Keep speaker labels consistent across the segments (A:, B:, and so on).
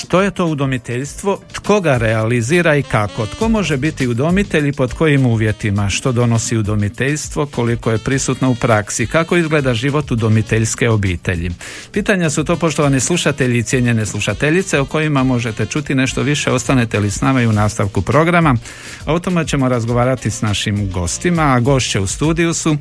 A: Što je to udomiteljstvo, tko ga realizira i kako? Tko može biti udomitelj i pod kojim uvjetima? Što donosi udomiteljstvo, koliko je prisutno u praksi? Kako izgleda život udomiteljske obitelji? Pitanja su to, poštovani slušatelji i cijenjene slušateljice, o kojima možete čuti nešto više. Ostanete li s nama i u nastavku programa? O tome ćemo razgovarati s našim gostima, a gošće u studiju su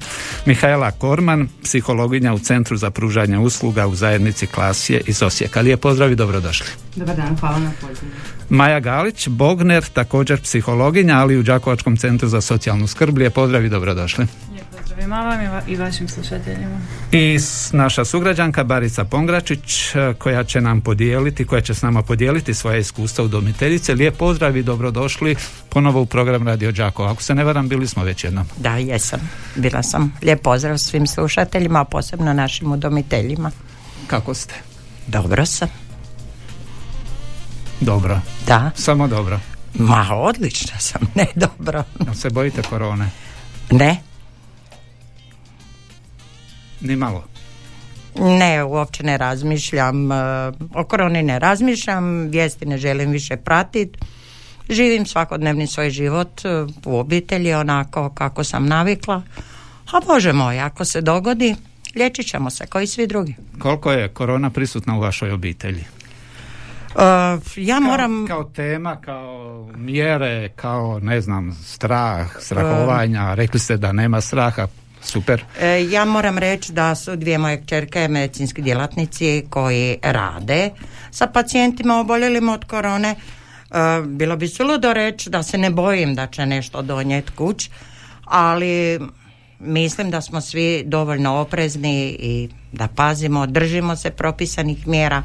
A: Mihaela Korman, psihologinja u Centru za pružanje usluga u zajednici Klasje iz Osijeka. Lijep pozdrav i dobrodošli.
B: Dobar dan, hvala na pozivu.
A: Maja Galić, Bogner, također psihologinja, ali u Đakovačkom centru za socijalnu skrb. Lijep pozdrav i dobrodošli.
B: Lijep pozdrav i vam i vašim slušateljima.
A: I naša sugrađanka Barica Pongračić, koja će s nama podijeliti svoje iskustva udomiteljice. Lijep pozdrav i dobrodošli ponovo u program Radio Đakova. Ako se ne varam, bili smo već jednom.
C: Da, jesam. Bila sam. Lijep pozdrav svim slušateljima, a posebno našim udomiteljima.
A: Kako ste?
C: Dobro sam.
A: Dobro.
C: Da.
A: Samo dobro.
C: Ma, odlično sam, ne dobro.
A: Se bojite korone?
C: Ne.
A: Ni malo?
C: Ne, uopće ne razmišljam. O koroni ne razmišljam, vijesti ne želim više pratiti. Živim svakodnevni svoj život u obitelji onako kako sam navikla. A Bože moj, ako se dogodi, liječit ćemo se kao i svi drugi.
A: Koliko je korona prisutna u vašoj obitelji?
C: Ja moram...
A: Kao tema, kao mjere, kao ne znam, strahovanja, rekli ste da nema straha, super.
C: Ja moram reći da su dvije moje kćerke medicinski djelatnici koji rade sa pacijentima oboljelim od korone. Bilo bi suludo reći da se ne bojim da će nešto donijeti kuć, ali mislim da smo svi dovoljno oprezni i da pazimo, držimo se propisanih mjera,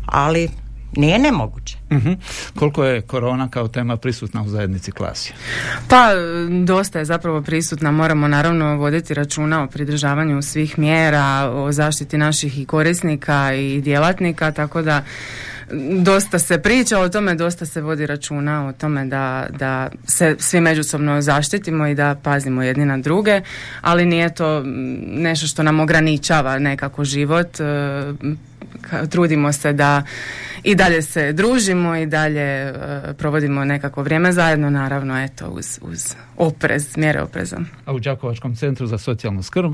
C: ali nije nemoguće.
A: Koliko je korona kao tema prisutna u zajednici Klasje?
B: Pa, dosta je zapravo prisutna. Moramo naravno voditi računa o pridržavanju svih mjera, o zaštiti naših i korisnika i djelatnika, tako da dosta se priča o tome, dosta se vodi računa o tome da se svi međusobno zaštitimo i da pazimo jedni na druge, ali nije to nešto što nam ograničava nekako život. Trudimo se da i dalje se družimo i dalje provodimo nekako vrijeme zajedno, naravno eto uz oprez, mjere opreza.
A: A u Đakovačkom centru za socijalnu skrb?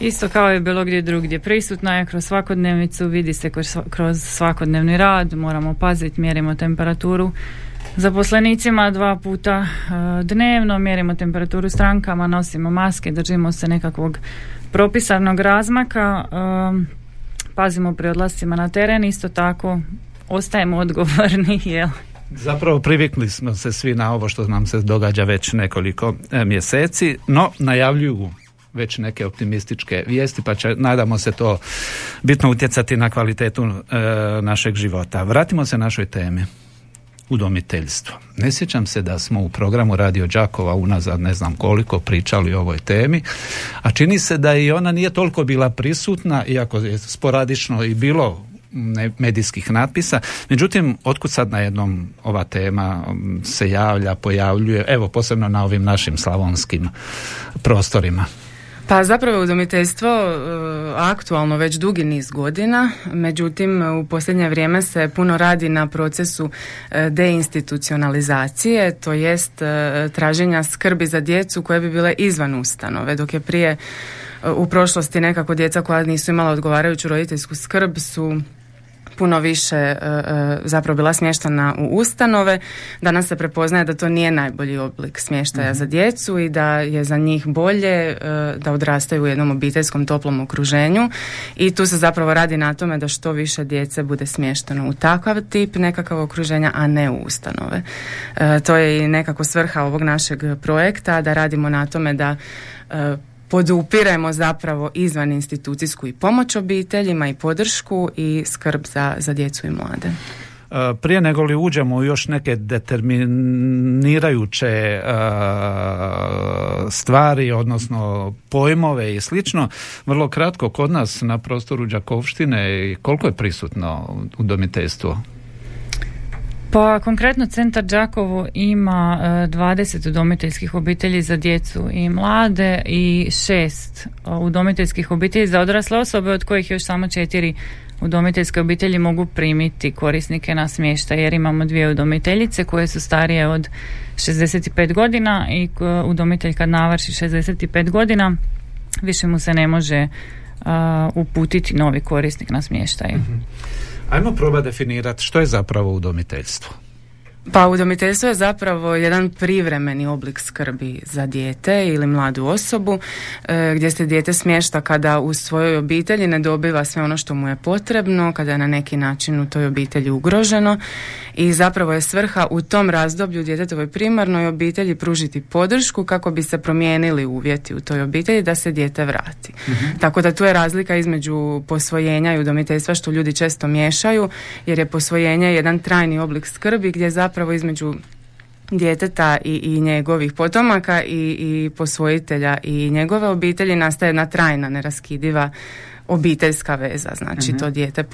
D: Isto kao i bilo gdje drugdje, prisutna je kroz svakodnevnicu, vidi se kroz svakodnevni rad, moramo paziti, mjerimo temperaturu zaposlenicima 2 puta dnevno, mjerimo temperaturu strankama, nosimo maske, držimo se nekakvog propisanog razmaka, pazimo pri odlascima na teren, isto tako ostajemo odgovorni, jel?
A: Zapravo privikli smo se svi na ovo što nam se događa već nekoliko mjeseci, no najavljuju već neke optimističke vijesti, pa će, nadamo se, to bitno utjecati na kvalitetu našeg života. Vratimo se našoj temi. Udomiteljstvo. Ne sjećam se da smo u programu Radio Đakova unazad ne znam koliko pričali o ovoj temi, a čini se da i ona nije toliko bila prisutna, iako je sporadično i bilo medijskih natpisa. Međutim, otkud sad najednom ova tema se pojavljuje, evo posebno na ovim našim slavonskim prostorima?
B: Pa zapravo udomiteljstvo aktualno već dugi niz godina, međutim u posljednje vrijeme se puno radi na procesu deinstitucionalizacije, to jest traženja skrbi za djecu koje bi bile izvan ustanove, dok je prije u prošlosti nekako djeca koja nisu imala odgovarajuću roditeljsku skrb su puno više zapravo bila smještena u ustanove. Danas se prepoznaje da to nije najbolji oblik smještaja za djecu i da je za njih bolje da odrastaju u jednom obiteljskom toplom okruženju i tu se zapravo radi na tome da što više djece bude smješteno u takav tip nekakav okruženja, a ne u ustanove. To je i nekako svrha ovog našeg projekta, da radimo na tome da podupiremo zapravo izvan institucijsku i pomoć obiteljima i podršku i skrb za djecu i mlade.
A: Prije nego li uđemo u još neke determinirajuće stvari, odnosno pojmove i slično, vrlo kratko, kod nas na prostoru Đakovštine koliko je prisutno udomiteljstvo?
D: Pa konkretno Centar Đakovo ima 20 udomiteljskih obitelji za djecu i mlade i 6 udomiteljskih obitelji za odrasle osobe, od kojih još samo 4 udomiteljske obitelji mogu primiti korisnike na smještaj, jer imamo 2 udomiteljice koje su starije od 65 godina i udomitelj kad navrši 65 godina više mu se ne može uputiti novi korisnik na smještaj.
A: Ajmo probati definirati što je zapravo udomiteljstvo.
B: Pa udomiteljstvo je zapravo jedan privremeni oblik skrbi za dijete ili mladu osobu, gdje se dijete smješta kada u svojoj obitelji ne dobiva sve ono što mu je potrebno, kada je na neki način u toj obitelji ugroženo, i zapravo je svrha u tom razdoblju djetetovoj primarnoj obitelji pružiti podršku kako bi se promijenili uvjeti u toj obitelji da se dijete vrati. Tako da tu je razlika između posvojenja i udomiteljstva, što ljudi često miješaju, jer je posvojenje jedan trajni oblik skrbi gdje zapravo između djeteta i njegovih potomaka i posvojitelja i njegove obitelji nastaje jedna trajna, neraskidiva obiteljska veza. Znači to dijete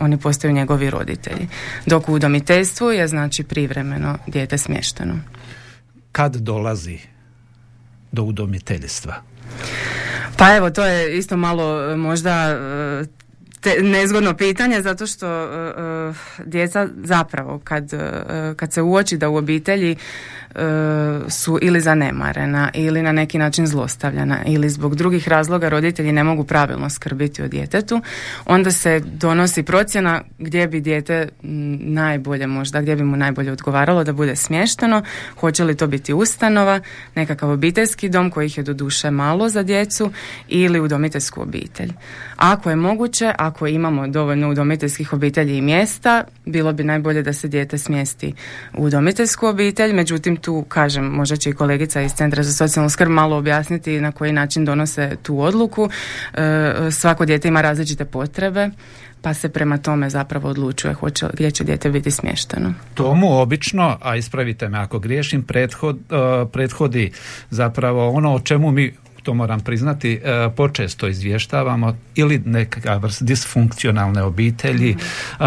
B: oni postaju njegovi roditelji. Dok u udomiteljstvu je znači privremeno dijete smješteno.
A: Kad dolazi do udomiteljstva?
B: Pa evo, to je isto malo možda nezgodno pitanje, zato što djeca zapravo kad se uoči da u obitelji su ili zanemarena ili na neki način zlostavljana ili zbog drugih razloga roditelji ne mogu pravilno skrbiti o djetetu, onda se donosi procjena gdje bi dijete najbolje možda, gdje bi mu najbolje odgovaralo da bude smješteno, hoće li to biti ustanova, nekakav obiteljski dom kojih je doduše malo za djecu ili udomiteljsku obitelj. Ako je moguće, ako imamo dovoljno udomiteljskih obitelji i mjesta, bilo bi najbolje da se dijete smjesti u udomiteljsku obitelj, međutim tu, kažem, možda će i kolegica iz Centra za socijalnu skrb malo objasniti na koji način donose tu odluku. Svako dijete ima različite potrebe, pa se prema tome zapravo odlučuje gdje će dijete biti smješteno.
A: Tomu obično, a ispravite me ako griješim, prethodi zapravo ono o čemu mi, to moram priznati, počesto izvještavamo, ili neka vrst disfunkcionalne obitelji,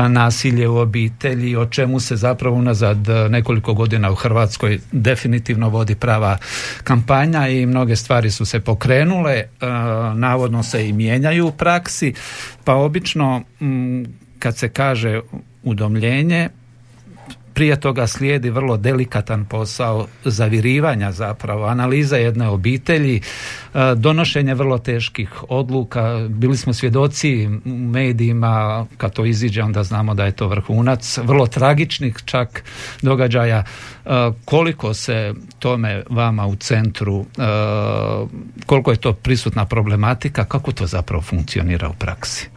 A: nasilje u obitelji, o čemu se zapravo unazad nekoliko godina u Hrvatskoj definitivno vodi prava kampanja i mnoge stvari su se pokrenule, navodno se i mijenjaju u praksi, pa obično kad se kaže udomljenje, prije toga slijedi vrlo delikatan posao zavirivanja zapravo, analiza jedne obitelji, donošenje vrlo teških odluka. Bili smo svjedoci u medijima, kad to iziđe onda znamo da je to vrhunac, vrlo tragičnih čak događaja. Koliko se tome vama u centru, koliko je to prisutna problematika, kako to zapravo funkcionira u praksi?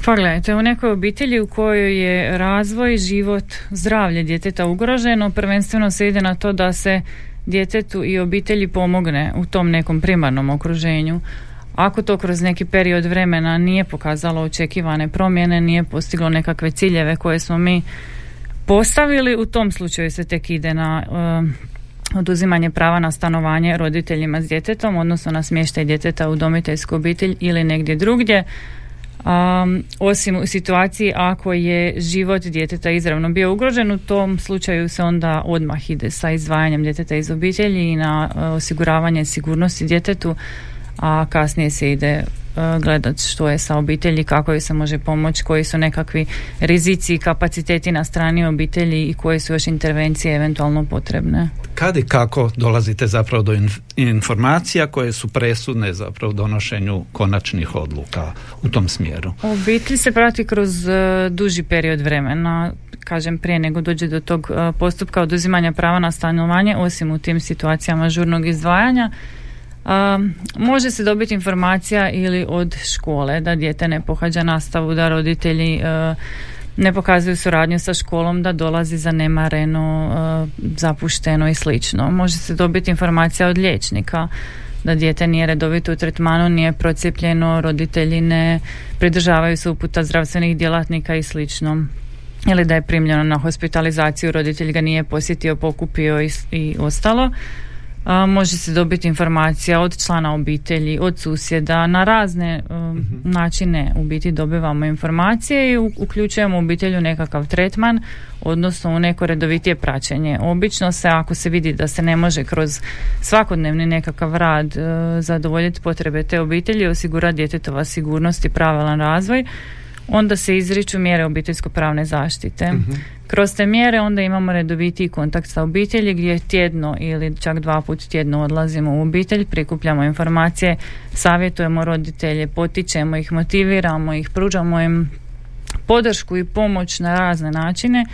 D: Pa gledajte, u nekoj obitelji u kojoj je razvoj, život, zdravlje djeteta ugroženo, prvenstveno se ide na to da se djetetu i obitelji pomogne u tom nekom primarnom okruženju. Ako to kroz neki period vremena nije pokazalo očekivane promjene, nije postiglo nekakve ciljeve koje smo mi postavili, u tom slučaju se tek ide na oduzimanje prava na stanovanje roditeljima s djetetom, odnosno na smještaj djeteta u udomiteljsku obitelj ili negdje drugdje. Osim u situaciji ako je život djeteta izravno bio ugrožen, u tom slučaju se onda odmah ide sa izdvajanjem djeteta iz obitelji i na osiguravanje sigurnosti djetetu, a kasnije se ide gledati što je sa obitelji, kako joj se može pomoći, koji su nekakvi rizici i kapaciteti na strani obitelji i koje su još intervencije eventualno potrebne.
A: Kad i kako dolazite zapravo do informacija koje su presudne zapravo u donošenju konačnih odluka u tom smjeru?
D: Obitelj se prati kroz duži period vremena, kažem, prije nego dođe do tog postupka oduzimanja prava na stanovanje, osim u tim situacijama žurnog izdvajanja. Može se dobiti informacija ili od škole da dijete ne pohađa nastavu, da roditelji ne pokazuju suradnju sa školom, da dolazi zanemareno, zapušteno i slično. Može se dobiti informacija od liječnika da dijete nije redovito u tretmanu, nije procijepljeno, roditelji ne pridržavaju se uputa zdravstvenih djelatnika i slično. Ili da je primljeno na hospitalizaciju, roditelj ga nije posjetio, pokupio i ostalo. Može se dobiti informacija od člana obitelji, od susjeda, na razne načine u biti dobivamo informacije i uključujemo obitelj u nekakav tretman, odnosno u neko redovitije praćenje. Obično se, ako se vidi da se ne može kroz svakodnevni nekakav rad zadovoljiti potrebe te obitelji, osigurati djetetova sigurnost i pravilan razvoj, onda se izriču mjere obiteljsko-pravne zaštite. Kroz te mjere onda imamo redovitiji kontakt sa obitelji gdje tjedno ili čak 2 puta tjedno odlazimo u obitelj, prikupljamo informacije, savjetujemo roditelje, potičemo ih, motiviramo ih, pružamo im podršku i pomoć na razne načine.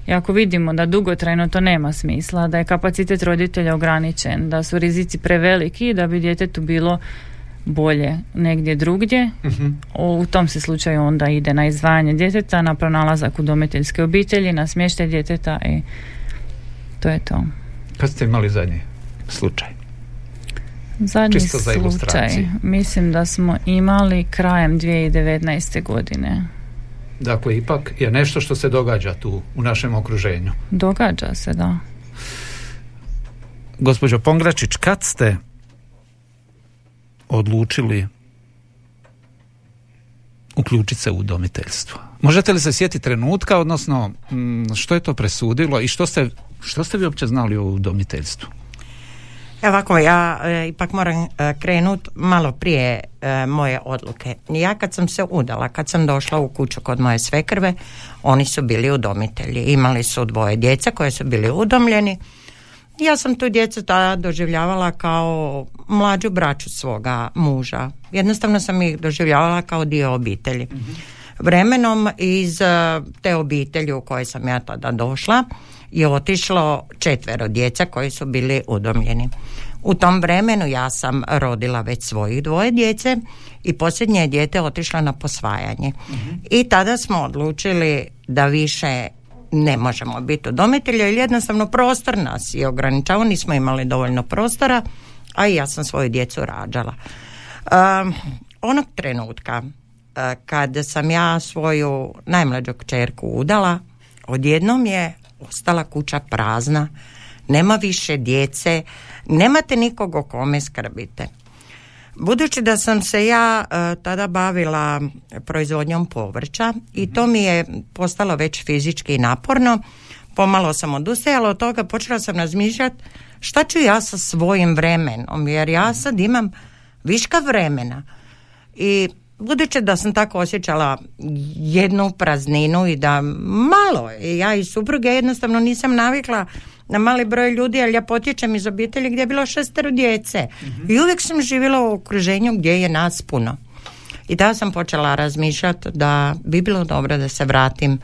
D: I ako vidimo da dugotrajno to nema smisla, da je kapacitet roditelja ograničen, da su rizici preveliki i da bi djetetu bilo bolje negdje drugdje, u tom se slučaju onda ide na izdvajanje djeteta, na pronalazak udomiteljske obitelji, na smještaj djeteta i to je to.
A: Kad ste imali zadnji slučaj?
D: Zadnji slučaj, mislim da smo imali krajem 2019. godine.
A: Dakle, ipak je nešto što se događa tu u našem okruženju.
D: Događa se, da.
A: Gospođo Pongračić, kad ste odlučili uključiti se u udomiteljstvo? Možete li se sjetiti trenutka, odnosno što je to presudilo i što ste vi uopće znali o udomiteljstvu?
C: Ovako, ja ipak moram krenuti malo prije moje odluke. Ja kad sam se udala, kad sam došla u kuću kod moje svekrve, oni su bili udomitelji. Imali su 2 djece koje su bili udomljeni. Ja sam tu djecu tada doživljavala kao mlađu braću svoga muža. Jednostavno sam ih doživljavala kao dio obitelji. Vremenom iz te obitelji u kojoj sam ja tada došla je otišlo 4 djece koji su bili udomljeni. U tom vremenu ja sam rodila već svojih 2 djece i posljednje dijete otišla na posvajanje. I tada smo odlučili da više ne možemo biti udomitelji, jer jednostavno prostor nas je ograničavao, nismo imali dovoljno prostora, a i ja sam svoju djecu rađala. Onog trenutka kad sam ja svoju najmlađu kćerku udala, odjednom je ostala kuća prazna, nema više djece, nemate nikog o kome skrbite. Budući da sam se ja tada bavila proizvodnjom povrća i to mi je postalo već fizički naporno, pomalo sam odustajala od toga, počela sam razmišljati šta ću ja sa svojim vremenom, jer ja sad imam viška vremena. I budući da sam tako osjećala jednu prazninu i da malo, ja i supruge jednostavno nisam navikla na mali broj ljudi, ali ja potječem iz obitelji gdje je bilo 6 djece. I uvijek sam živjela u okruženju gdje je nas puno. I tada sam počela razmišljati da bi bilo dobro da se vratim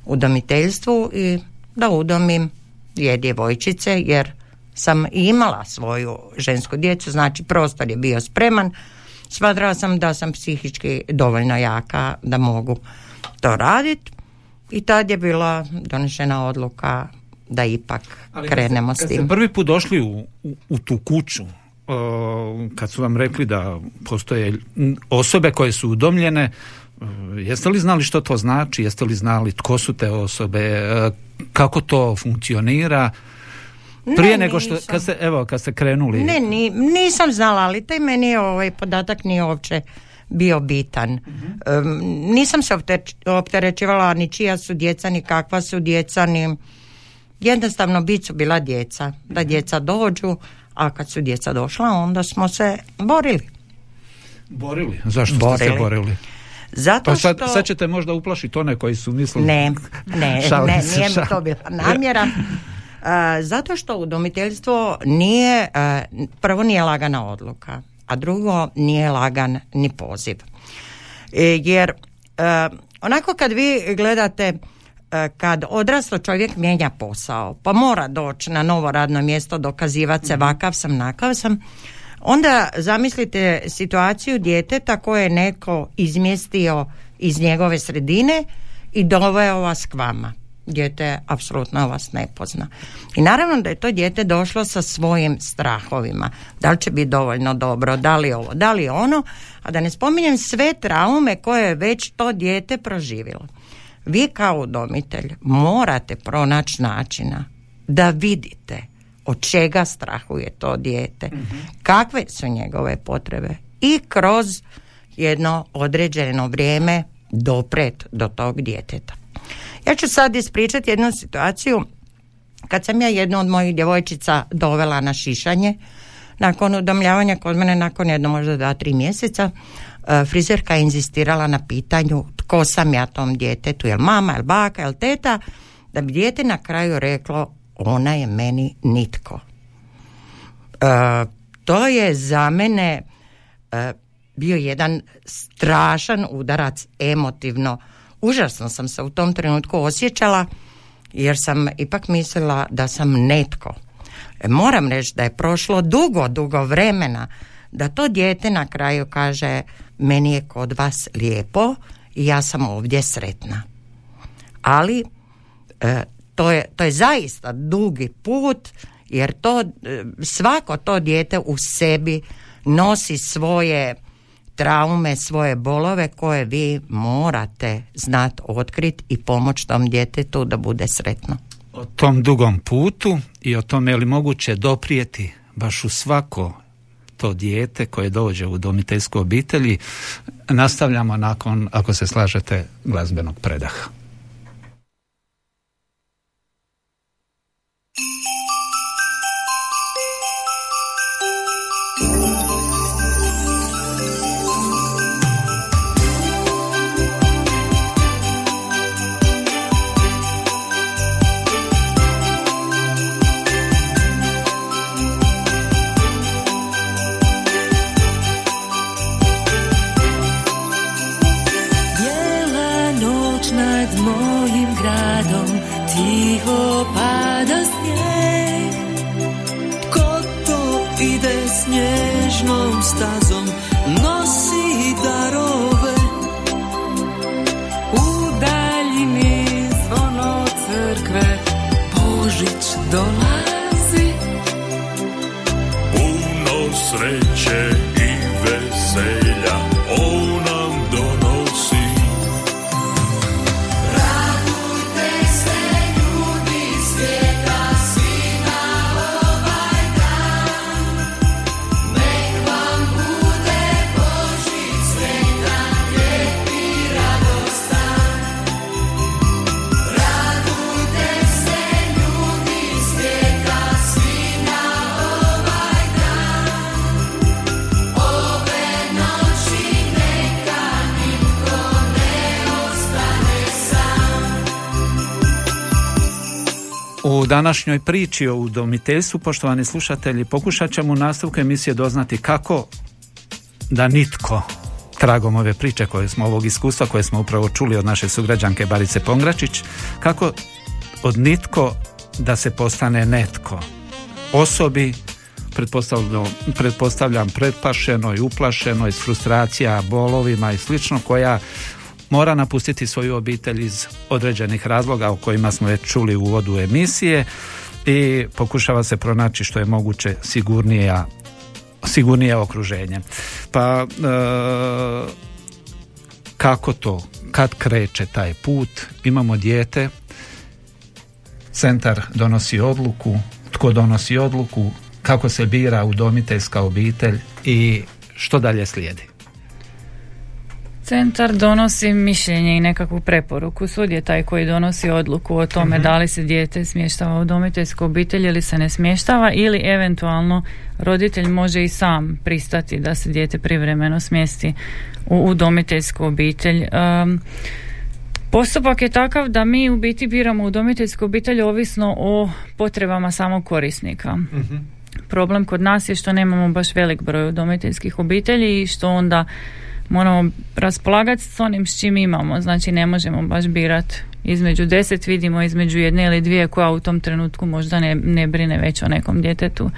C: u udomiteljstvu i da udomim 2 djevojčice, jer sam imala svoju žensku djecu, znači prostor je bio spreman. Smatrala sam da sam psihički dovoljno jaka da mogu to raditi i tad je bila donešena odluka da ipak krenemo s tim.
A: Kad ste prvi put došli u tu kuću, kad su vam rekli da postoje osobe koje su udomljene, jeste li znali što to znači? Jeste li znali tko su te osobe? Kako to funkcionira? Prije nego što, kad ste krenuli...
C: Nisam znala, ali taj meni je podatak nije uopće bio bitan. Nisam se opterećivala ni čija su djeca, ni kakva su djeca, ni... Jednostavno bit su bila djeca, da djeca dođu, a kad su djeca došla, onda smo se borili.
A: Borili? Zašto ste se borili?
C: Zato što...
A: Sad ćete možda uplašiti one koji su mislili...
C: Ne, nije mi to bila namjera. Zato što udomiteljstvo nije, prvo nije lagana odluka, a drugo nije lagan ni poziv. Jer onako kad vi gledate, kad odraslo čovjek mijenja posao, pa mora doći na novo radno mjesto, dokazivati se vakav sam, nakav sam, onda zamislite situaciju djeteta koje je neko izmjestio iz njegove sredine i doveo vas k vama. Dijete apsolutno vas ne pozna. I naravno da je to dijete došlo sa svojim strahovima. Da li će biti dovoljno dobro, da li ovo, da li ono, a da ne spominjem sve traume koje je već to dijete proživjelo. Vi kao udomitelj morate pronaći načina da vidite od čega strahuje to dijete, kakve su njegove potrebe i kroz jedno određeno vrijeme dopret do tog djeteta. Ja ću sad ispričati jednu situaciju kad sam ja jednu od mojih djevojčica dovela na šišanje nakon udomljavanja kod mene, nakon jedno možda 2-3 mjeseca. Frizerka je inzistirala na pitanju tko sam ja tom djetetu, jel mama, jel baka, jel teta, da bi dijete na kraju reklo ona je meni nitko. To je za mene bio jedan strašan udarac emotivno. Užasno sam se u tom trenutku osjećala jer sam ipak mislila da sam netko. Moram reći da je prošlo dugo vremena da to dijete na kraju kaže meni je kod vas lijepo i ja sam ovdje sretna. Ali to je zaista dugi put jer svako to dijete u sebi nosi svoje traume, svoje bolove koje vi morate znati otkriti i pomoći tom djetetu da bude sretno.
A: O tom dugom putu i o tome je li moguće doprijeti baš u svako to dijete koje dođe u udomiteljsku obitelji, nastavljamo nakon, ako se slažete, glazbenog predaha.
E: Tiho pada snijeg, ko to ide snježnom stazom, nosi darove. U daljini zvono crkve, Božić dolazi.
F: Puno sreće i veselja on nam donosi.
A: U današnjoj priči o udomiteljstvu, poštovani slušatelji, pokušat ćemo u nastavku emisije doznati kako da nitko, tragom ove priče ovog iskustva koje smo upravo čuli od naše sugrađanke Barice Pongračić, kako od nitko da se postane netko. Osobi, pretpostavljam pretpašenoj, uplašenoj, s frustracija, bolovima i slično, koja mora napustiti svoju obitelj iz određenih razloga o kojima smo već čuli u uvodu emisije i pokušava se pronaći što je moguće sigurnije okruženje. Pa kako to? Kad kreće taj put? Imamo dijete, centar donosi odluku, tko donosi odluku, kako se bira udomiteljska obitelj i što dalje slijedi?
D: Centar donosi mišljenje i nekakvu preporuku. Sud je taj koji donosi odluku o tome da li se dijete smještava u udomiteljsku obitelj ili se ne smještava, ili eventualno roditelj može i sam pristati da se dijete privremeno smjesti u udomiteljsku obitelj. Postupak je takav da mi u biti biramo udomiteljsku obitelj ovisno o potrebama samog korisnika. Problem kod nas je što nemamo baš velik broj udomiteljskih obitelji i što onda moramo raspolagati s onim s čim imamo. Znači ne možemo baš birati između 10, vidimo između jedne ili dvije koja u tom trenutku možda ne brine već o nekom djetetu.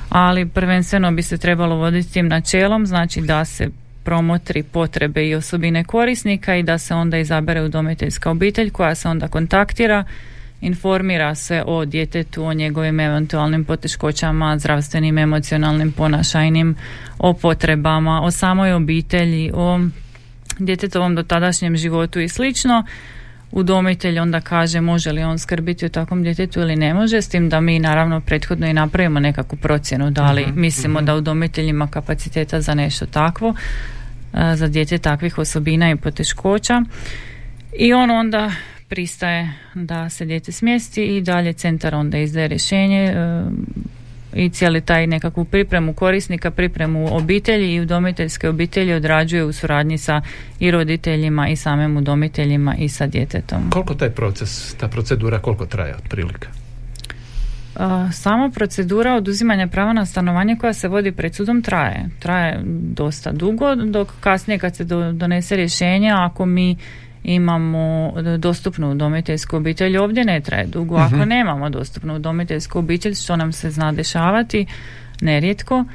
D: Ali prvenstveno bi se trebalo voditi tim načelom, znači da se promotri potrebe i osobine korisnika i da se onda izabere udomiteljska obitelj koja se onda kontaktira, informira se o djetetu, o njegovim eventualnim poteškoćama, zdravstvenim, emocionalnim, ponašajnim, o potrebama, o samoj obitelji, o djetetovom dotadašnjem životu i slično. udomitelj onda kaže može li on skrbiti o takvom djetetu ili ne može, s tim da mi naravno prethodno i napravimo nekakvu procjenu da li mislimo da udomitelj ima kapaciteta za nešto takvo, za dijete takvih osobina i poteškoća, i on onda pristaje da se dijete smjesti i dalje centar onda izdaje rješenje i cijeli taj nekakvu pripremu korisnika, pripremu obitelji i udomiteljske obitelji odrađuje u suradnji sa i roditeljima i samim udomiteljima i sa djetetom.
A: Koliko taj proces, ta procedura, koliko traje otprilike?
D: Sama procedura oduzimanja prava na stanovanje koja se vodi pred sudom traje dosta dugo, dok kasnije kad se donese rješenje, ako mi imamo dostupnu udomiteljsku obitelj, ovdje ne traje dugo. Ako nemamo dostupnu udomiteljsku obitelj, što nam se zna dešavati nerijetko,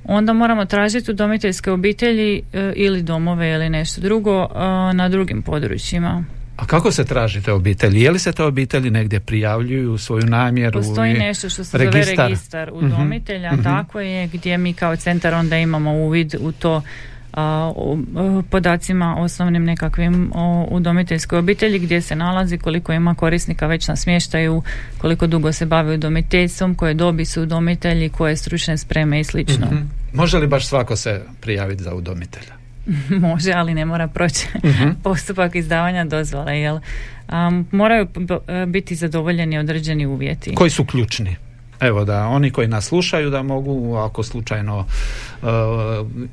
D: onda moramo tražiti udomiteljske obitelji ili domove ili nešto drugo na drugim područjima.
A: A kako se traži te obitelji? Je li se te obitelji negdje prijavljuju svoju namjeru?
D: Postoji nešto što se zove registar udomitelja, tako je, gdje mi kao centar onda imamo uvid u to, podacima osnovnim nekakvim o udomiteljskoj obitelji, gdje se nalazi, koliko ima korisnika već na smještaju, koliko dugo se bavi udomiteljstvom, koje dobi su udomitelji, koje stručne spreme i slično.
A: Može li baš svako se prijaviti za udomitelja?
D: Može, ali ne mora proći postupak izdavanja dozvole, jer moraju biti zadovoljeni određeni uvjeti.
A: Koji su ključni? Evo, da oni koji nas slušaju da mogu, ako slučajno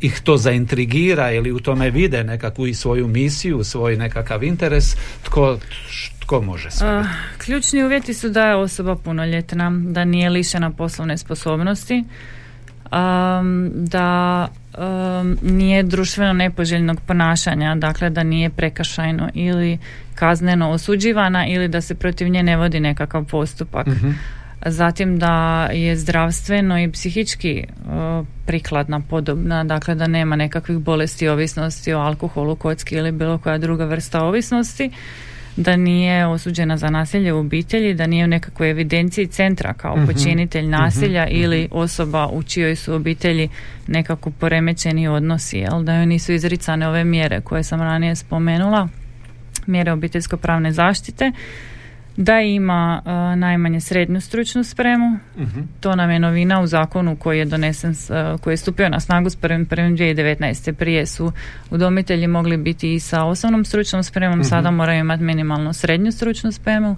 A: ih to zaintrigira ili u tome vide nekakvu i svoju misiju, svoj nekakav interes, tko može sve?
D: Ključni uvjeti su da je osoba punoljetna, da nije lišena poslovne sposobnosti, da nije društveno nepoželjnog ponašanja, dakle da nije prekršajno ili kazneno osuđivana ili da se protiv nje ne vodi nekakav postupak. Zatim da je zdravstveno i psihički prikladna, podobna, dakle da nema nekakvih bolesti, ovisnosti o alkoholu, kocki ili bilo koja druga vrsta ovisnosti, da nije osuđena za nasilje u obitelji, da nije u nekakvoj evidenciji centra kao počinitelj nasilja ili osoba u čijoj su obitelji nekako poremećeni odnosi, jel? Da joj nisu izricane ove mjere koje sam ranije spomenula, mjere obiteljsko-pravne zaštite, da ima najmanje srednju stručnu spremu. To nam je novina u zakonu koji je donesen, koji je stupio na snagu s 1.1.2019. Prije su udomitelji mogli biti i sa osnovnom stručnom spremom, sada moraju imati minimalno srednju stručnu spremu,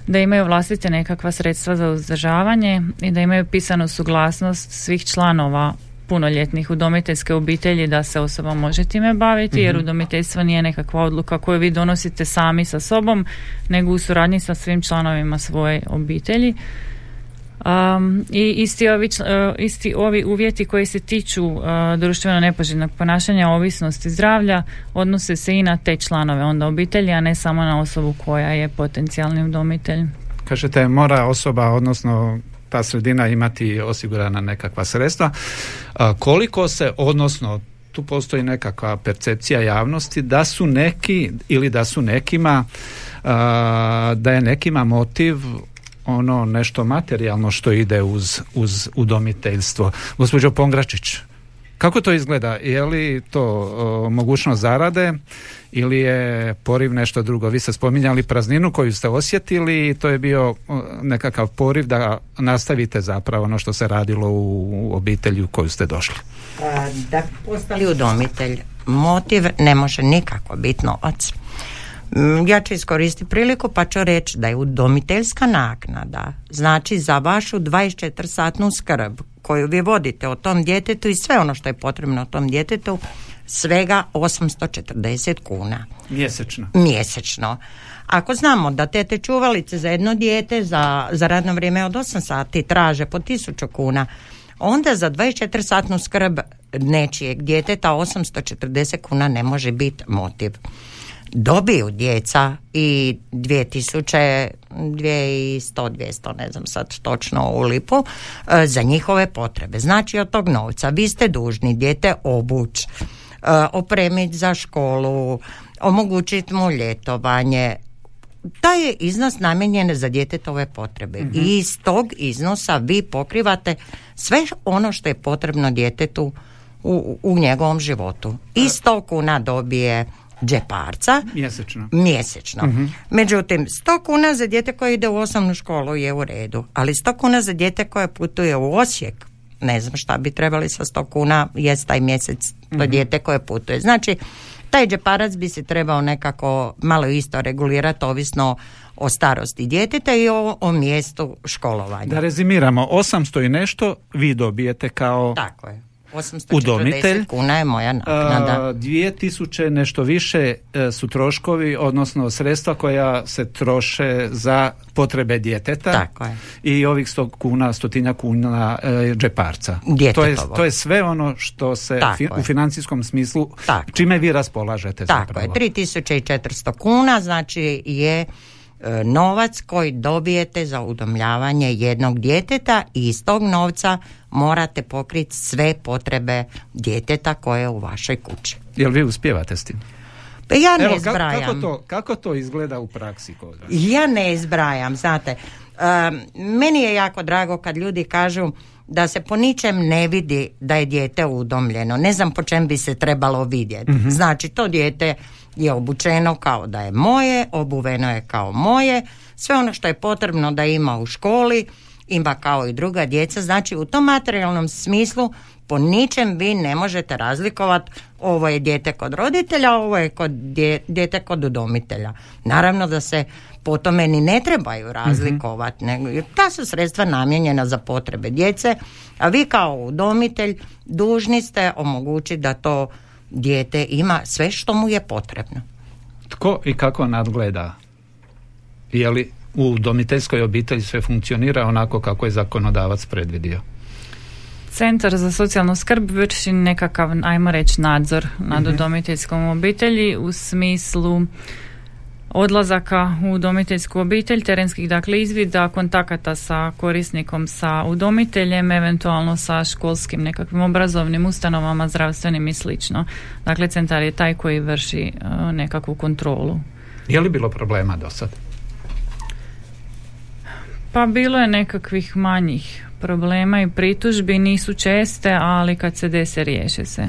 D: da imaju vlastite nekakva sredstva za uzdržavanje i da imaju pisanu suglasnost svih članova punoljetnih udomiteljske obitelji da se osoba može time baviti, jer udomiteljstvo nije nekakva odluka koju vi donosite sami sa sobom, nego u suradnji sa svim članovima svoje obitelji. I isti ovi uvjeti koji se tiču društveno nepoželjnog ponašanja, ovisnosti, zdravlja, odnose se i na te članove onda obitelji, a ne samo na osobu koja je potencijalni udomitelj.
A: Kažete, mora osoba, odnosno ta sredina imati osigurana nekakva sredstva. Koliko se, odnosno tu postoji nekakva percepcija javnosti da su neki ili da su nekima da je nekima motiv ono nešto materijalno što ide uz udomiteljstvo. Gospođo Pongračić, kako to izgleda? Je li to mogućnost zarade ili je poriv nešto drugo? Vi ste spominjali prazninu koju ste osjetili i to je bio nekakav poriv da nastavite zapravo ono što se radilo u obitelji u koju ste došli.
C: Da postali udomitelj, motiv ne može nikako biti novac. Ja ću iskoristiti priliku pa ću reći da je udomiteljska naknada, znači za vašu 24-satnu skrb koju vi vodite o tom djetetu i sve ono što je potrebno o tom djetetu, svega 840 kuna. Mjesečno. Ako znamo da tete čuvalice za jedno dijete za radno vrijeme od 8 sati traže po 1000 kuna, onda za 24-satnu skrb nečijeg djeteta 840 kuna ne može biti motiv. Dobiju djeca i 2000, 2100, 200, ne znam sad točno u lipu, za njihove potrebe. Znači od tog novca vi ste dužni dijete obući, opremiti za školu, omogućiti mu ljetovanje. Taj je iznos namijenjen za djetetove potrebe i iz tog iznosa vi pokrivate sve ono što je potrebno djetetu u njegovom životu. I 100 kuna dobije džeparca mjesečno. Međutim, 100 kuna za dijete koje ide u osnovnu školu je u redu, ali 100 kuna za dijete koje putuje u Osijek, ne znam šta bi trebali sa 100 kuna jest taj mjesec to dijete koje putuje. Znači, taj džeparac bi se trebao nekako malo isto regulirati ovisno o starosti djeteta i o mjestu školovanja.
A: Da rezimiramo, 800 i nešto vi dobijete kao
C: tako je. 840
A: udomitelj,
C: kuna je moja naknada.
A: 2000 nešto više su troškovi, odnosno sredstva koja se troše za potrebe djeteta.
C: Tako je.
A: I ovih 100 kuna, 100 kuna džeparca. To je sve ono što se u financijskom smislu, čime vi raspolažete.
C: Tako je, 3400 kuna znači je novac koji dobijete za udomljavanje jednog djeteta i iz tog novca morate pokriti sve potrebe djeteta koje je u vašoj kući.
A: Jel vi uspijevate s tim?
C: Pa ja ne zbrajam.
A: Kako to izgleda u praksi kod vas?
C: Ja ne zbrajam, znate. Meni je jako drago kad ljudi kažu da se po ničem ne vidi da je dijete udomljeno. Ne znam po čem bi se trebalo vidjeti. Znači, to dijete je obučeno kao da je moje, obuveno je kao moje, sve ono što je potrebno da ima u školi, ima kao i druga djeca. Znači, u tom materijalnom smislu po ničem vi ne možete razlikovati ovo je dijete kod roditelja, ovo je dijete kod udomitelja. Naravno da se po tome ni ne trebaju razlikovati, nego ta su sredstva namijenjena za potrebe djece, a vi kao udomitelj dužni ste omogućiti da to dijete ima sve što mu je potrebno.
A: Tko i kako nadgleda? Je li u udomiteljskoj obitelji sve funkcionira onako kako je zakonodavac predvidio?
D: Centar za socijalnu skrb vrši nekakav, ajmo reći, nadzor nad udomiteljskom obitelji u smislu odlazaka u udomiteljsku obitelj, terenskih dakle izvida, kontakata sa korisnikom, sa udomiteljem, eventualno sa školskim nekakvim obrazovnim ustanovama, zdravstvenim i slično. Dakle, centar je taj koji vrši nekakvu kontrolu.
A: Je li bilo problema do sad?
D: Pa bilo je nekakvih manjih problema i pritužbi, nisu česte, ali kad se dese, riješe se.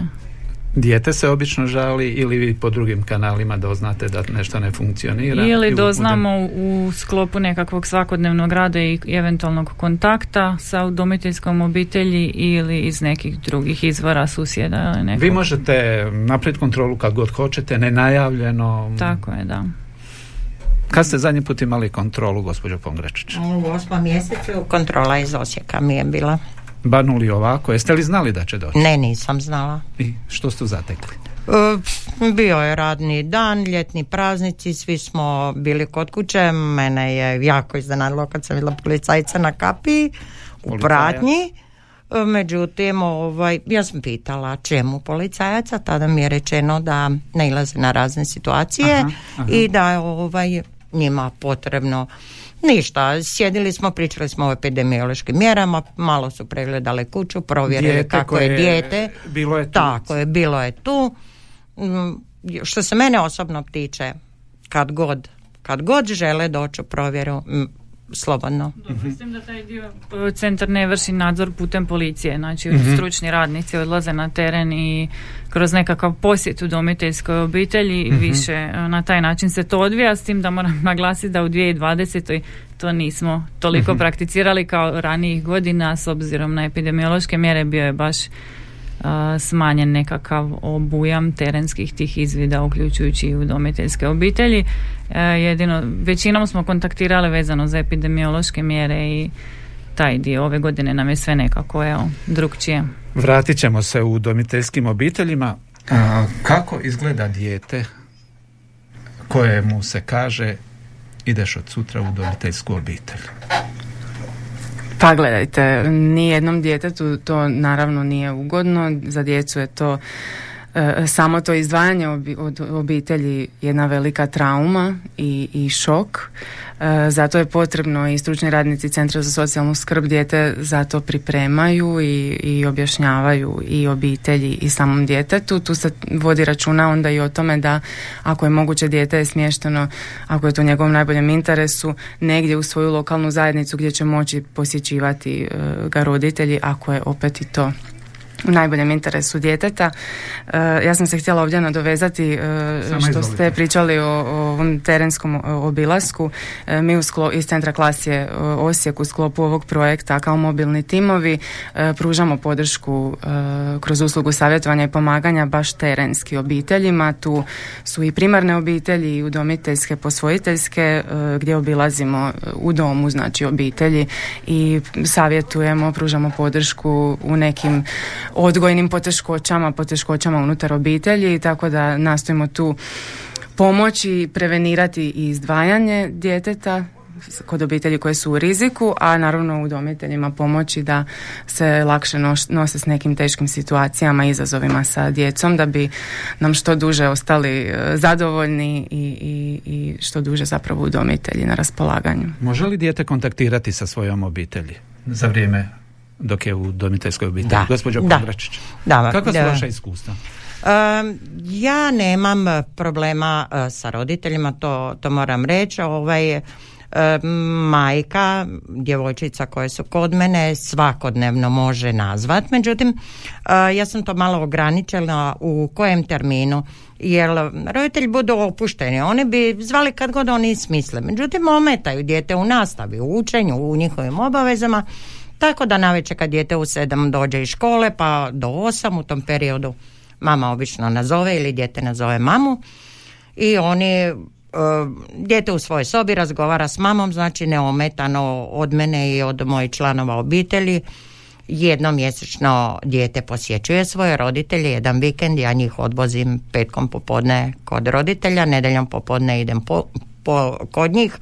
A: Dijete se obično žali ili vi po drugim kanalima doznate da nešto ne funkcionira?
D: Ili doznamo u sklopu nekakvog svakodnevnog rada i eventualnog kontakta sa udomiteljskom obitelji ili iz nekih drugih izvora, susjeda.
A: Vi možete napraviti kontrolu kad god hoćete, nenajavljeno.
D: Tako je, da.
A: Kad ste zadnji put imali kontrolu, gospođo Pongrečić?
C: U 8. mjesecu kontrola iz Osijeka mi je bila.
A: Banuli ovako, jeste li znali da će doći?
C: Ne, nisam znala.
A: I što ste zatekli?
C: Bio je radni dan, ljetni praznici, svi smo bili kod kuće, mene je jako iznenadilo kad sam vidjela policajca na kapiji u pratnji. Međutim, ja sam pitala čemu policajaca, tada mi je rečeno da nailaze na razne situacije i da je njima potrebno ništa. Sjedili smo, pričali smo o epidemiološkim mjerama, malo su pregledali kuću, provjerili kako je dijete.
A: Bilo je tu.
C: Tako je, bilo je tu. Što se mene osobno tiče, kad god žele doći u provjeru, slobodno.
D: Mislim da taj dio centar ne vrši nadzor putem policije, znači stručni radnici odlaze na teren i kroz nekakav posjet udomiteljskoj obitelji više na taj način se to odvija, s tim da moram naglasiti da u 2020. to nismo toliko prakticirali kao ranijih godina, s obzirom na epidemiološke mjere bio je baš smanjen nekakav obujam terenskih tih izvida, uključujući i udomiteljske obitelji. Jedino, većinom smo kontaktirali vezano za epidemiološke mjere i taj dio ove godine nam je sve nekako drukčije.
A: Vratit ćemo se u udomiteljskim obiteljima. Kako izgleda dijete kojemu se kaže ideš od sutra u udomiteljsku obitelj?
B: Pa gledajte, nijednom djetetu to naravno nije ugodno, za djecu je to samo to izdvajanje od obitelji jedna velika trauma i šok. Zato je potrebno i stručni radnici Centra za socijalnu skrb dijete zato pripremaju i objašnjavaju i obitelji i samom djetetu. Tu se vodi računa onda i o tome da ako je moguće dijete je smješteno, ako je to u njegovom najboljem interesu, negdje u svoju lokalnu zajednicu gdje će moći posjećivati ga roditelji, ako je opet i to u najboljem interesu djeteta. Ja sam se htjela ovdje nadovezati što ste pričali o ovom terenskom obilasku. Mi iz Centra Klasje Osijek u sklopu ovog projekta kao mobilni timovi pružamo podršku kroz uslugu savjetovanja i pomaganja baš terenski obiteljima. Tu su i primarne obitelji i udomiteljske, posvojiteljske, gdje obilazimo u domu, znači obitelji, i savjetujemo, pružamo podršku u nekim odgojnim poteškoćama unutar obitelji, tako da nastojimo tu pomoći, prevenirati i izdvajanje djeteta kod obitelji koje su u riziku, a naravno udomiteljima pomoći da se lakše nose s nekim teškim situacijama i izazovima sa djecom, da bi nam što duže ostali zadovoljni i što duže zapravo udomitelji na raspolaganju.
A: Može li dijete kontaktirati sa svojom obitelji za vrijeme dok je u udomiteljskoj obitelji?
C: Da.
A: Gospođo Kondračić, kakva su vaša iskustva?
C: Ja nemam problema sa roditeljima, to moram reći. Majka, djevojčica koje su kod mene svakodnevno može nazvat, međutim ja sam to malo ograničila u kojem terminu, jer roditelji budu opušteni, oni bi zvali kad god oni smisle, međutim ometaju dijete u nastavi, u učenju, u njihovim obavezama, tako da navečer kad dijete u 7 dođe iz škole pa do 8, u tom periodu mama obično nazove ili dijete nazove mamu i oni dijete u svojoj sobi razgovara s mamom, znači neometano od mene i od mojih članova obitelji. Jednom mjesečno dijete posjećuje svoje roditelje, jedan vikend ja njih odvozim petkom popodne kod roditelja, nedjeljom popodne idem kod njih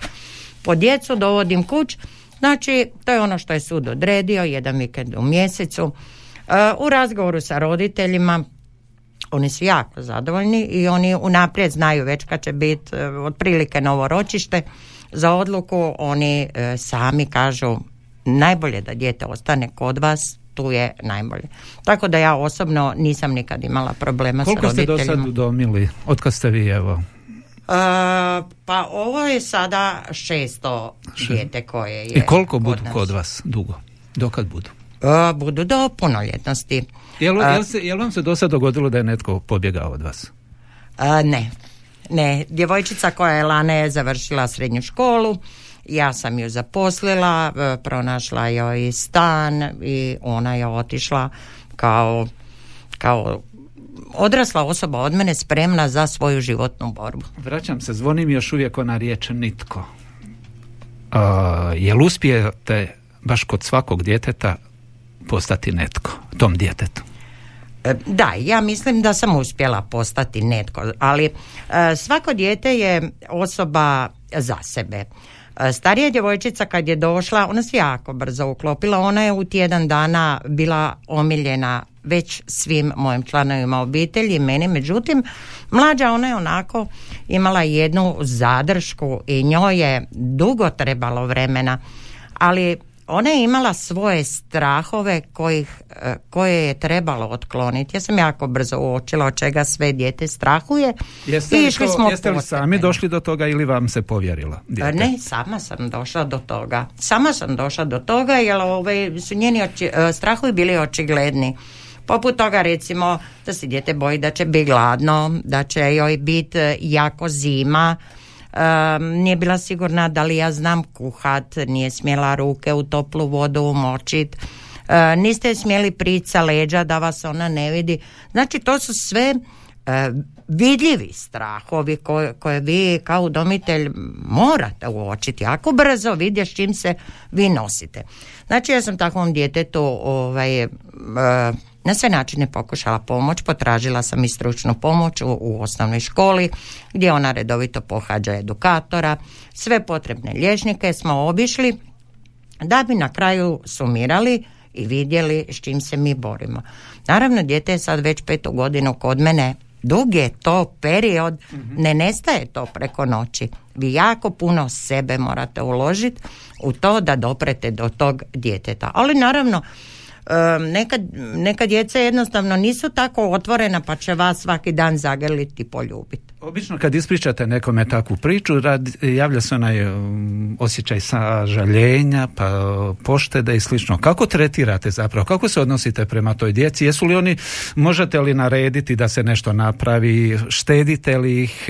C: po djecu, dovodim kuć. Znači to je ono što je sud odredio, jedan vikend u mjesecu. U razgovoru sa roditeljima oni su jako zadovoljni i oni unaprijed znaju već kad će biti otprilike novo ročište za odluku. Oni sami kažu najbolje da dijete ostane kod vas, tu je najbolje. Tako da ja osobno nisam nikad imala problema sa roditeljima.
A: Koliko ste do sad udomili? Otkad ste vi, evo?
C: Pa ovo je sada 600 dijete koje je.
A: I koliko budu kod vas dugo? Dokad budu?
C: Budu do punoljetnosti.
A: Jel vam se do sad dogodilo da je netko pobjegao od vas?
C: Ne. Djevojčica koja je lane završila srednju školu, ja sam ju zaposlila, pronašla joj stan i ona je otišla kao odrasla osoba od mene, spremna za svoju životnu borbu.
A: Vraćam se, zvoni mi još uvijek ona riječ nitko. Jel uspijete baš kod svakog djeteta postati netko, tom djetetu?
C: Da, ja mislim da sam uspjela postati netko, ali svako dijete je osoba za sebe. Starija djevojčica kad je došla, ona se jako brzo uklopila, ona je u tjedan dana bila omiljena već svim mojim članovima obitelji i meni, međutim mlađa ona je onako imala jednu zadršku i njoj je dugo trebalo vremena, ali ona je imala svoje strahove koje je trebalo otkloniti. Ja sam jako brzo uočila od čega sve dijete strahuje.
A: Jeste li sami došli do toga ili vam se povjerila dijete?
C: Ne, sama sam došla do toga jer su njeni strahovi bili očigledni. Poput toga recimo da se dijete boji da će biti gladno, da će joj biti jako zima, nije bila sigurna da li ja znam kuhat, nije smjela ruke u toplu vodu umočit, niste smjeli prići sa leđa da vas ona ne vidi. Znači to su sve vidljivi strahovi koje vi kao udomitelj morate uočiti jako brzo, vidjeti s čim se vi nosite. Znači ja sam takvom djetetu na sve načine pokušala pomoć, potražila sam i stručnu pomoć u osnovnoj školi gdje ona redovito pohađa edukatora, sve potrebne liječnike smo obišli da bi na kraju sumirali i vidjeli s čim se mi borimo. Naravno, dijete je sad već 5. godinu kod mene, dug je to period, ne nestaje to preko noći. Vi jako puno sebe morate uložiti u to da doprete do tog djeteta. Ali naravno, neka djeca jednostavno nisu tako otvorena pa će vas svaki dan zagrliti i poljubiti.
A: Obično kad ispričate nekome takvu priču, javlja se onaj osjećaj sažaljenja, pa poštede i slično. Kako tretirate zapravo? Kako se odnosite prema toj djeci? Jesu li oni, možete li narediti da se nešto napravi? Štedite li ih?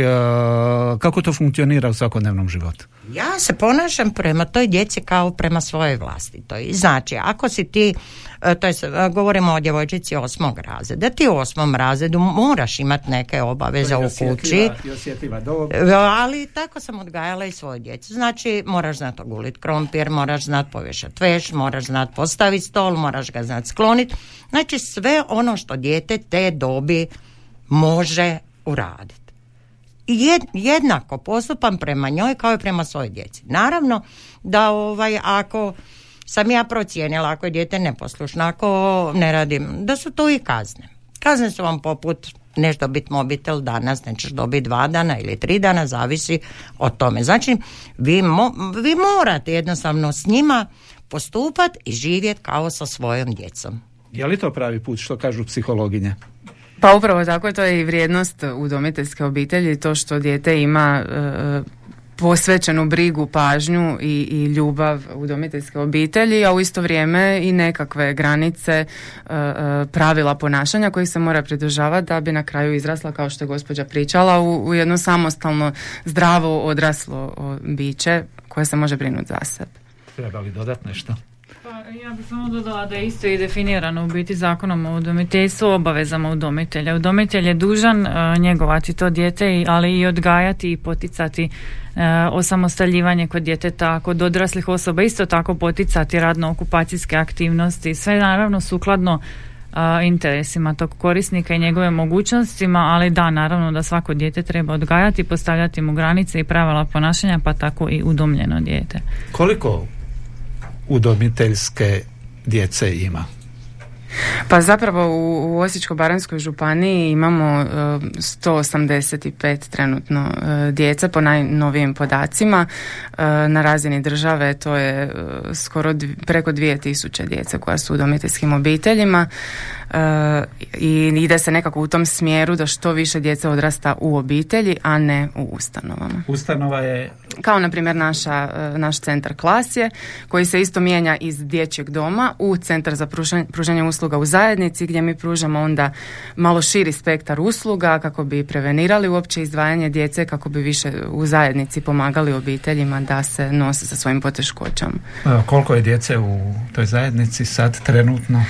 A: Kako to funkcionira u svakodnevnom životu?
C: Ja se ponašam prema toj djeci kao prema svojoj vlastitoj. Znači, ako si ti, to je, govorimo o djevojčici 8. razreda, ti u 8. razredu moraš imati neke obaveze u kući. Ali tako sam odgajala i svoju djecu. Znači, moraš znati oguliti krompir, moraš znati povješati veš, moraš znati postaviti stol, moraš ga znati skloniti. Znači, sve ono što dijete te dobi može uraditi. I jednako postupam prema njoj kao i prema svojoj djeci. Naravno da ako sam ja procijenila, ako je dijete neposlušno, ako ne radim, da su to i kazne. Kazne su vam poput neš dobiti mobitel danas, nećeš dobiti 2 dana ili 3 dana, zavisi od tome. Znači, vi morate jednostavno s njima postupati i živjeti kao sa svojom djecom.
A: Je li to pravi put, što kažu psihologinje?
B: Pa upravo tako, to je i vrijednost udomiteljske obitelji, to što dijete ima posvećenu brigu, pažnju i ljubav udomiteljske obitelji, a u isto vrijeme i nekakve granice, pravila ponašanja kojih se mora pridržavati da bi na kraju izrasla, kao što je gospođa pričala, u jedno samostalno, zdravo, odraslo biće koje se može brinuti za sebe.
A: Treba li dodati nešto?
D: Ja bih samo dodala da je isto i definirano u biti zakonom o udomiteljstvu, obavezama udomitelja. Udomitelj je dužan njegovati to dijete, ali i odgajati i poticati osamostaljivanje kod djeteta, kod odraslih osoba, isto tako poticati radno-okupacijske aktivnosti, sve naravno sukladno interesima tog korisnika i njegove mogućnostima, ali da, naravno da svako dijete treba odgajati, postavljati mu granice i pravila ponašanja, pa tako i udomljeno dijete.
A: Koliko udomiteljske djece ima?
B: Pa zapravo u Osječko-baranjskoj županiji imamo 185 trenutno djece po najnovijim podacima. Na razini države to je skoro preko 2000 djece koja su u udomiteljskim obiteljima i ide se nekako u tom smjeru da što više djece odrasta u obitelji, a ne u ustanovama.
A: Ustanova je...
B: Kao na primjer naš centar Klasje, koji se isto mijenja iz dječjeg doma u centar za pružanje usluga u zajednici, gdje mi pružamo onda malo širi spektar usluga kako bi prevenirali uopće izdvajanje djece, kako bi više u zajednici pomagali obiteljima da se nose sa svojim poteškoćama.
A: Koliko je djece u toj zajednici sad trenutno?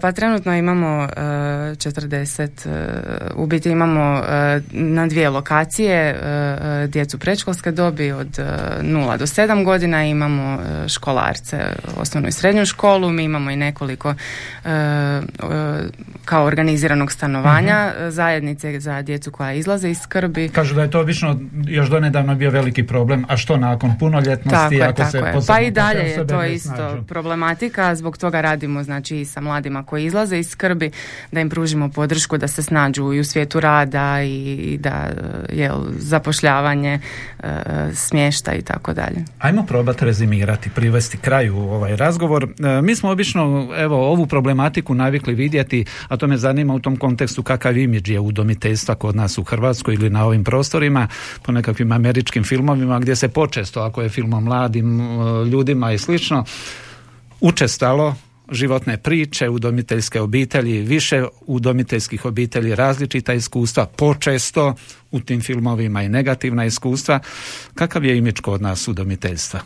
B: Pa trenutno imamo 40, u biti imamo na 2 lokacije djecu predškolske dobi od 0 do 7 godina, imamo školarce, osnovnu i srednju školu, mi imamo i nekoliko kao organiziranog stanovanja, zajednice za djecu koja izlaze iz skrbi.
A: Kažu da je to obično još donedavno bio veliki problem, a što nakon punoljetnosti?
B: Tako je. Pa i dalje je to isto problematika, zbog toga radimo znači i sa mladima koji izlaze iz skrbi, da im pružimo podršku da se snađu i u svijetu rada i da zapošljavanje, smještaj i tako dalje.
A: Ajmo probati rezimirati, privesti kraju ovaj razgovor. Mi smo obično ovu problematiku navikli vidjeti, a to me zanima u tom kontekstu kakav imidž je udomiteljstva kod nas u Hrvatskoj ili na ovim prostorima, po nekakvim američkim filmovima gdje se počesto, ako je film o mladim ljudima i slično, učestalo životne priče, udomiteljske obitelji, više udomiteljskih obitelji, različita iskustva, počesto u tim filmovima i negativna iskustva. Kakav je imidž kod nas udomiteljstva?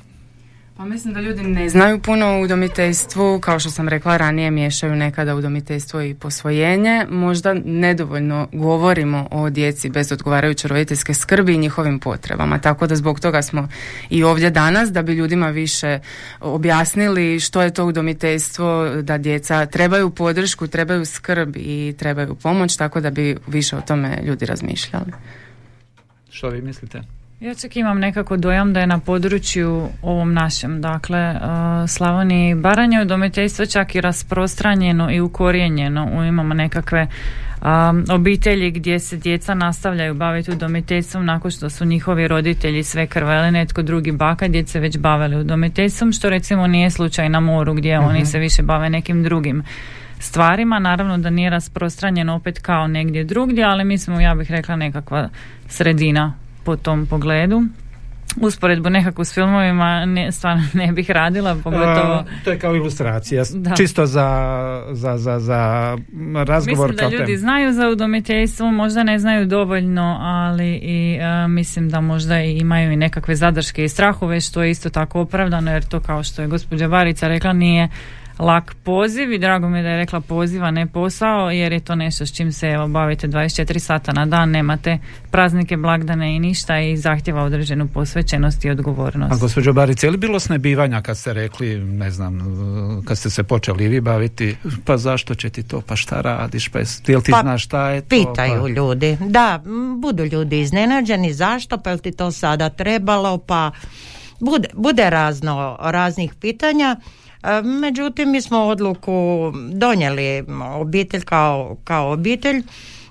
B: Pa mislim da ljudi ne znaju puno o udomiteljstvu, kao što sam rekla ranije, miješaju nekada udomiteljstvo i posvojenje, možda nedovoljno govorimo o djeci bez odgovarajuće roditeljske skrbi i njihovim potrebama, tako da zbog toga smo i ovdje danas, da bi ljudima više objasnili što je to udomiteljstvo, da djeca trebaju podršku, trebaju skrb i trebaju pomoć, tako da bi više o tome ljudi razmišljali.
A: Što vi mislite?
D: Ja čak imam nekako dojam da je na području ovom našem, dakle Slavoniji i Baranje, udomiteljstvo čak i rasprostranjeno i ukorijenjeno. Imamo nekakve obitelji gdje se djeca nastavljaju baviti udomiteljstvom nakon što su njihovi roditelji svekrva ili netko drugi, baka, djece već bavili udomiteljstvom, što recimo nije slučaj na moru gdje oni se više bave nekim drugim stvarima. Naravno da nije rasprostranjeno opet kao negdje drugdje, ali mi smo, ja bih rekla, nekakva sredina po tom pogledu. Usporedbu nekako s filmovima stvarno ne bih radila, pogotovo...
A: To je kao ilustracija, čisto za razgovor.
D: Mislim da ljudi znaju za udomiteljstvo, možda ne znaju dovoljno, ali i mislim da možda imaju i nekakve zadrške i strahove, što je isto tako opravdano, jer to, kao što je gospođa Barica rekla, nije lak poziv i drago mi je da je rekla poziv, a ne posao, jer je to nešto s čim se bavite 24 sata na dan, nemate praznike, blagdane i ništa i zahtjeva određenu posvećenost i odgovornost.
A: A gospođo Barica, je li bilo snebivanja kad ste rekli, ne znam, kad ste se počeli vi baviti, pa zašto će ti to, pa šta radiš, pa jel ti znaš šta je to?
C: Pitaju ljudi, da, budu ljudi iznenađeni, zašto, pa jel ti to sada trebalo, pa bude raznih pitanja. Međutim, mi smo odluku donijeli, obitelj kao obitelj.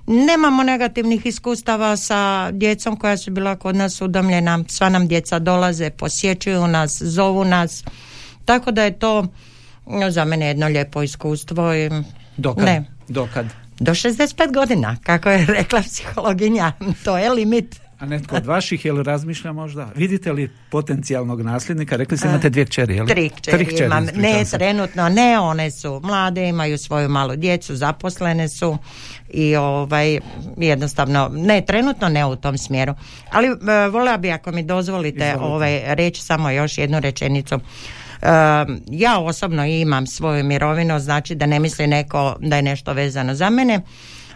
C: Nemamo negativnih iskustava sa djecom koja su bila kod nas udomljena. Sva nam djeca dolaze, posjećuju nas, zovu nas. Tako da je to za mene jedno lijepo iskustvo.
A: Dokad?
C: Do 65 godina, kako je rekla psihologinja. To je limit.
A: A netko od vaših, je li razmišlja možda? Vidite li potencijalnog nasljednika? Rekli ste imate 2 kćeri, je li?
C: 3 kćeri imam. Ne, trenutno ne, one su mlade, imaju svoju malu djecu, zaposlene su i jednostavno, ne, trenutno ne u tom smjeru. Ali voljela bi, ako mi dozvolite, reći samo još jednu rečenicu. Ja osobno imam svoju mirovinu, znači da ne misli neko da je nešto vezano za mene,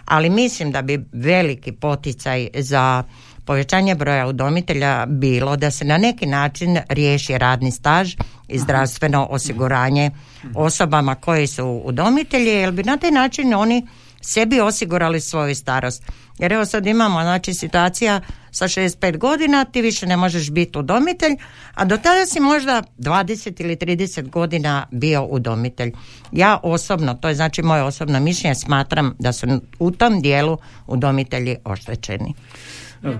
C: ali mislim da bi veliki poticaj za povećanje broja udomitelja bilo da se na neki način riješi radni staž i zdravstveno osiguranje osobama koji su udomitelji, jer bi na taj način oni sebi osigurali svoju starost. Jer evo sad imamo, znači, situacija sa 65 godina ti više ne možeš biti udomitelj, a do tada si možda 20 ili 30 godina bio udomitelj. Ja osobno, to je znači moje osobno mišljenje, smatram da su u tom dijelu udomitelji oštećeni.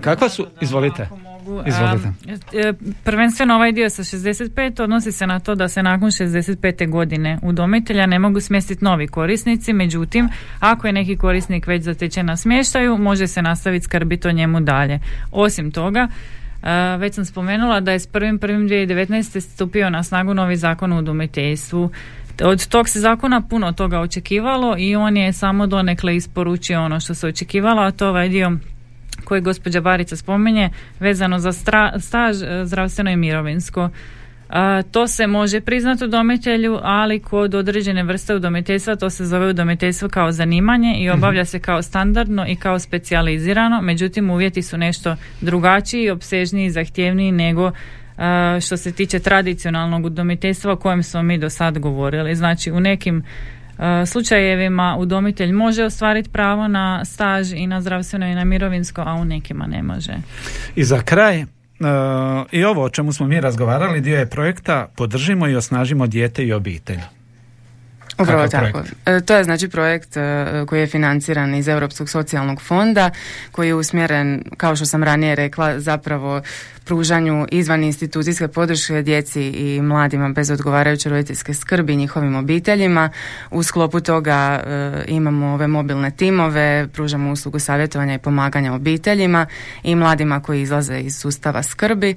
A: Kakva su, izvolite.
D: Prvenstveno ovaj dio sa 65 odnosi se na to da se nakon 65. godine udomitelja ne mogu smjestiti novi korisnici, međutim ako je neki korisnik već zatečen na smještaju, može se nastaviti skrbiti o njemu dalje. Osim toga, već sam spomenula da je s 1.1.2019. stupio na snagu novi zakon o udomiteljstvu. Od tog se zakona puno toga očekivalo i on je samo donekle isporučio ono što se očekivalo, a to ovaj dio koji gospođa Barica spominje vezano za staž zdravstveno i mirovinsko. To se može priznati udomitelju, ali kod određene vrste udomiteljstva to se zove udomiteljstvo kao zanimanje i obavlja se kao standardno i kao specijalizirano, međutim uvjeti su nešto drugačiji, opsežniji, zahtjevniji nego što se tiče tradicionalnog udomiteljstva o kojem smo mi do sad govorili. Znači u nekim slučajevima udomitelj može ostvariti pravo na staž i na zdravstveno i na mirovinsko, a u nekima ne može.
A: I za kraj, i ovo o čemu smo mi razgovarali, dio je projekta Podržimo i osnažimo dijete i obitelj.
B: Upravo tako. To je znači projekt koji je financiran iz Europskog socijalnog fonda, koji je usmjeren, kao što sam ranije rekla, zapravo pružanju izvan institucijske podrške djeci i mladima bez odgovarajuće roditeljske skrbi, njihovim obiteljima. U sklopu toga imamo ove mobilne timove, pružamo uslugu savjetovanja i pomaganja obiteljima i mladima koji izlaze iz sustava skrbi.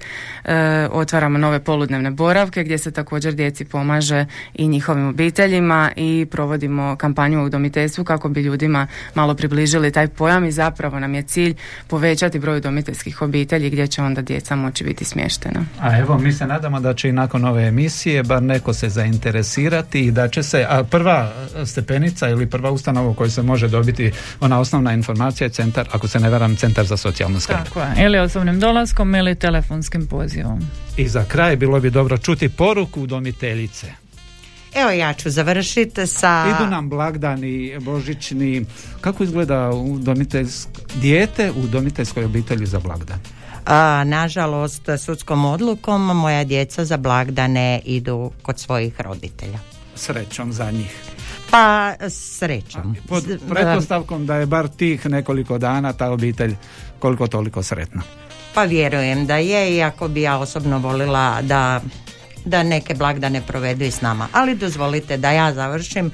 B: Otvaramo nove poludnevne boravke gdje se također djeci pomaže i njihovim obiteljima i provodimo kampanju u udomiteljstvu kako bi ljudima malo približili taj pojam i zapravo nam je cilj povećati broj udomiteljskih obitelji gdje će onda djeca moći biti smještena.
A: A evo, mi se nadamo da će i nakon ove emisije bar neko se zainteresirati i da će se, a prva stepenica ili prva ustanova u kojoj se može dobiti ona osnovna informacija je centar, ako se ne varam, Centar za socijalnu skrb.
D: Tako je, ili osobnim dolaskom ili telefonskim pozivom.
A: I za kraj bilo bi dobro čuti poruku udomiteljice.
C: Evo, ja ću završiti sa...
A: Idu nam blagdani, božićni. Kako izgleda dijete u udomiteljskoj obitelji za blagdan?
C: Nažalost, sudskom odlukom moja djeca za blagdane idu kod svojih roditelja.
A: Srećom za njih.
C: Pa, srećom.
A: Pod pretpostavkom da je bar tih nekoliko dana ta obitelj koliko toliko sretna.
C: Pa vjerujem da je, iako bi ja osobno volila da neke blagdane provedu i s nama. Ali dozvolite da ja završim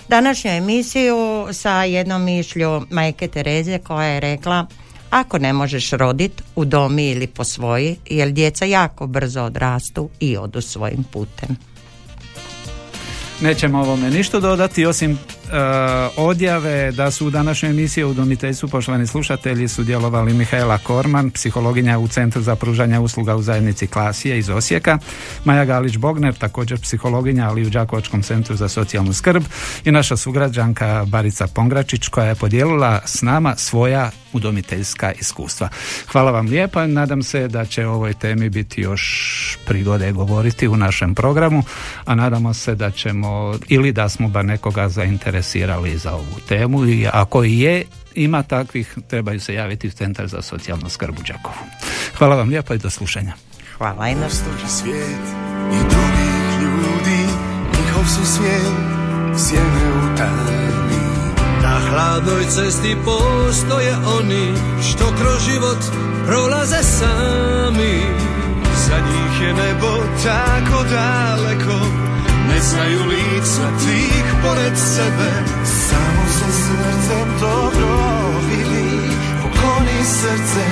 C: današnju emisiju sa jednom mišlju majke Tereze koja je rekla: ako ne možeš rodit, udomi ili posvoji, jer djeca jako brzo odrastu i odu svojim putem.
A: Nećemo ovome ništa dodati osim odjave da su u današnjoj emisiji o udomiteljstvu, poštovani slušatelji, sudjelovali Mihaela Korman, psihologinja u Centru za pružanje usluga u zajednici Klasija iz Osijeka, Maja Galić-Bogner, također psihologinja, ali u Đakovačkom centru za socijalnu skrb, i naša sugrađanka Barica Pongračić koja je podijelila s nama svoja udomiteljska iskustva. Hvala vam lijepa, nadam se da će o ovoj temi biti još prigode govoriti u našem programu, a nadamo se da ćemo ili da smo bar nekoga zainteresirali za ovu temu, i ako ima takvih, trebaju se javiti u Centar za socijalnu skrb u Đakovu. Hvala vam lijepo i do slušanja.
C: Hvala i na
G: svijet i drugih ljudi, njihov su svijet sjene u tami.
H: Na hladnoj cesti postoje oni što kroz život prolaze sami.
G: Za njih je nebo tako daleko, ne znaju lica tih pored sebe. Samo se srcem dobro vidi, pokloni srce